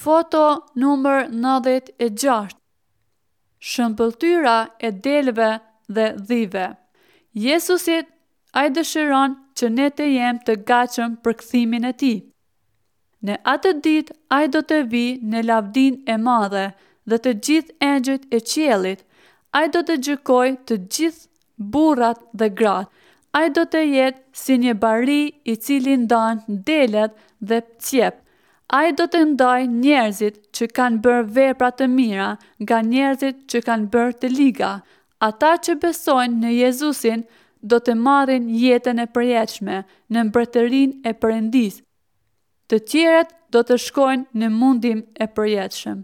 Foto numër 96 Shëmbëlltyra e deleve dhe dhive. Jezusi ai dëshiron që ne të jem të gatshëm për kthimin e tij. Në atë ditë ai do të vijë në lavdinë e madhe dhe të gjithë engjëjt e qiellit. Ai do të gjykojë të gjithë burrat dhe gratë. Ai do të jetë si një bari i cili ndan delet dhe cjep. Ai do të ndajë njerëzit që kanë bërë vepra të mira nga njerëzit që kanë bërë të liga. Ata që besojnë në Jezusin do të marrin jetën e përjetshme në mbretërinë e Perëndisë. Të tjerët do të shkojnë në mundim e përjetshëm.